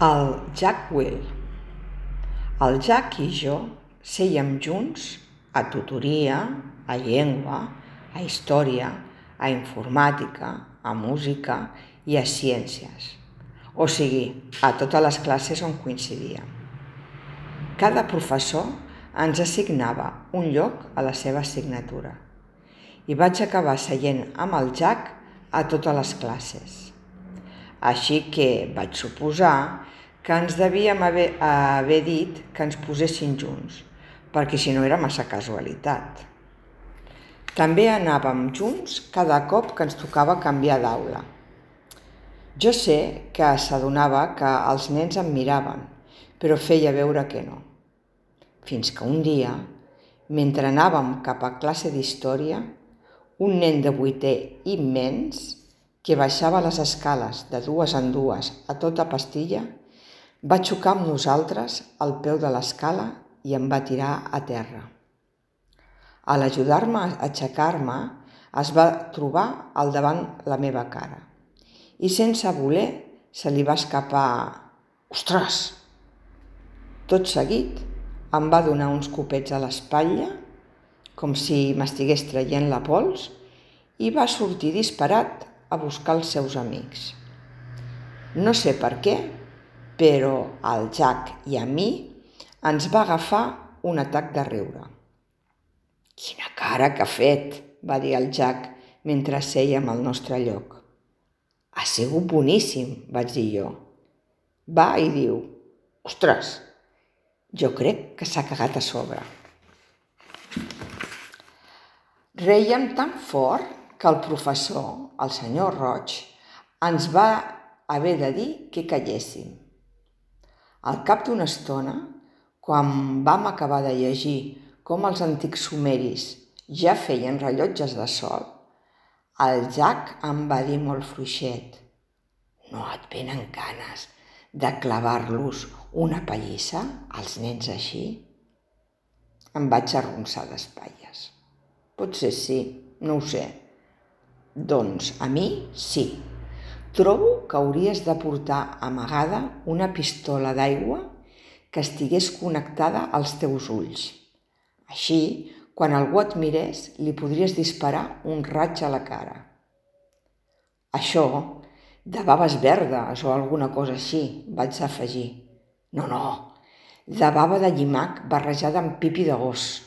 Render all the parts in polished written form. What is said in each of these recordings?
El Jack Will. El Jack i jo sèiem junts a tutoria, a llengua, a història, a informàtica, a música i a ciències. O sigui, a totes les classes on coincidíem. Cada professor ens assignava un lloc a la seva assignatura i vaig acabar seient amb el Jack a totes les classes. Així que vaig suposar que ens devíem haver dit que ens posessin junts, perquè si no era massa casualitat. També anàvem junts cada cop que ens tocava canviar d'aula. Jo sé que s'adonava que els nens em miraven, però feia veure que no. Fins que un dia, mentre anàvem cap a classe d'història, un nen de 8è immens, que baixava les escales de dues en dues a tota pastilla, va xocar amb nosaltres al peu de l'escala i em va tirar a terra. A l'ajudar-me a aixecar-me, es va trobar al davant la meva cara i sense voler se li va escapar «Ostres!». Tot seguit em va donar uns copets a l'espatlla, com si m'estigués traient la pols, i va sortir disparat a buscar els seus amics. No sé per què, però al Jack i a mi ens va agafar un atac de riure. «Quina cara que ha fet!», va dir el Jack mentre sèiem al nostre lloc. «Ha sigut boníssim», vaig dir jo. Va i diu «Ostres, jo crec que s'ha cagat a sobre». Rèiem tan fort que el professor, el senyor Roig, ens va haver de dir que calléssim. Al cap d'una estona, quan vam acabar de llegir com els antics sumeris ja feien rellotges de sol, el Jack em va dir molt fluixet: «No et venen ganes de clavar-los una pallissa als nens així?» Em vaig arronsar d'espatlles. «Potser sí, no ho sé». «Doncs a mi sí. Trobo que hauries de portar amagada una pistola d'aigua que estigués connectada als teus ulls. Així, quan algú et mirés, li podries disparar un raig a la cara. Això de baves verdes o alguna cosa així», vaig afegir. No, de bava de llimac barrejada amb pipi de gos».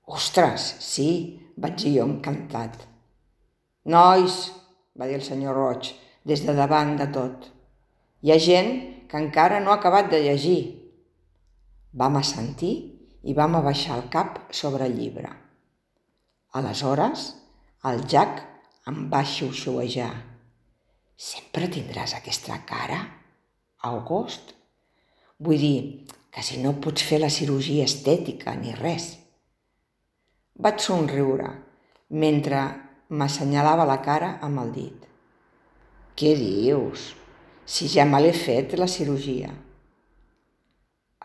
«Ostres, sí», vaig dir jo encantat. «Nois», va dir el senyor Roig des de davant de tot, «hi ha gent que encara no ha acabat de llegir». Vam assentir i vam abaixar el cap sobre el llibre. Aleshores, el Jack em va xiuxiuejar: «Sempre tindràs aquesta cara, August? Vull dir que si no pots fer la cirurgia estètica ni res». Vaig somriure mentre m'assenyalava la cara amb el dit. «Què dius? Si ja me l'he fet, la cirurgia».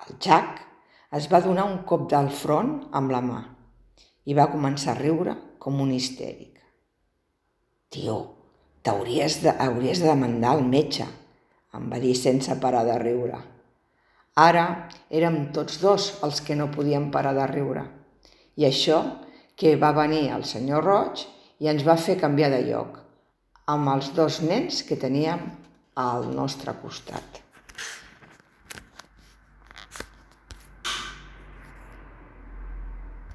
El Jack es va donar un cop del front amb la mà i va començar a riure com un histèric. «Tio, hauries de demandar el metge», em va dir sense parar de riure. Ara érem tots dos els que no podíem parar de riure. I això que va venir el senyor Roig i ens va fer canviar de lloc, amb els dos nens que teníem al nostre costat.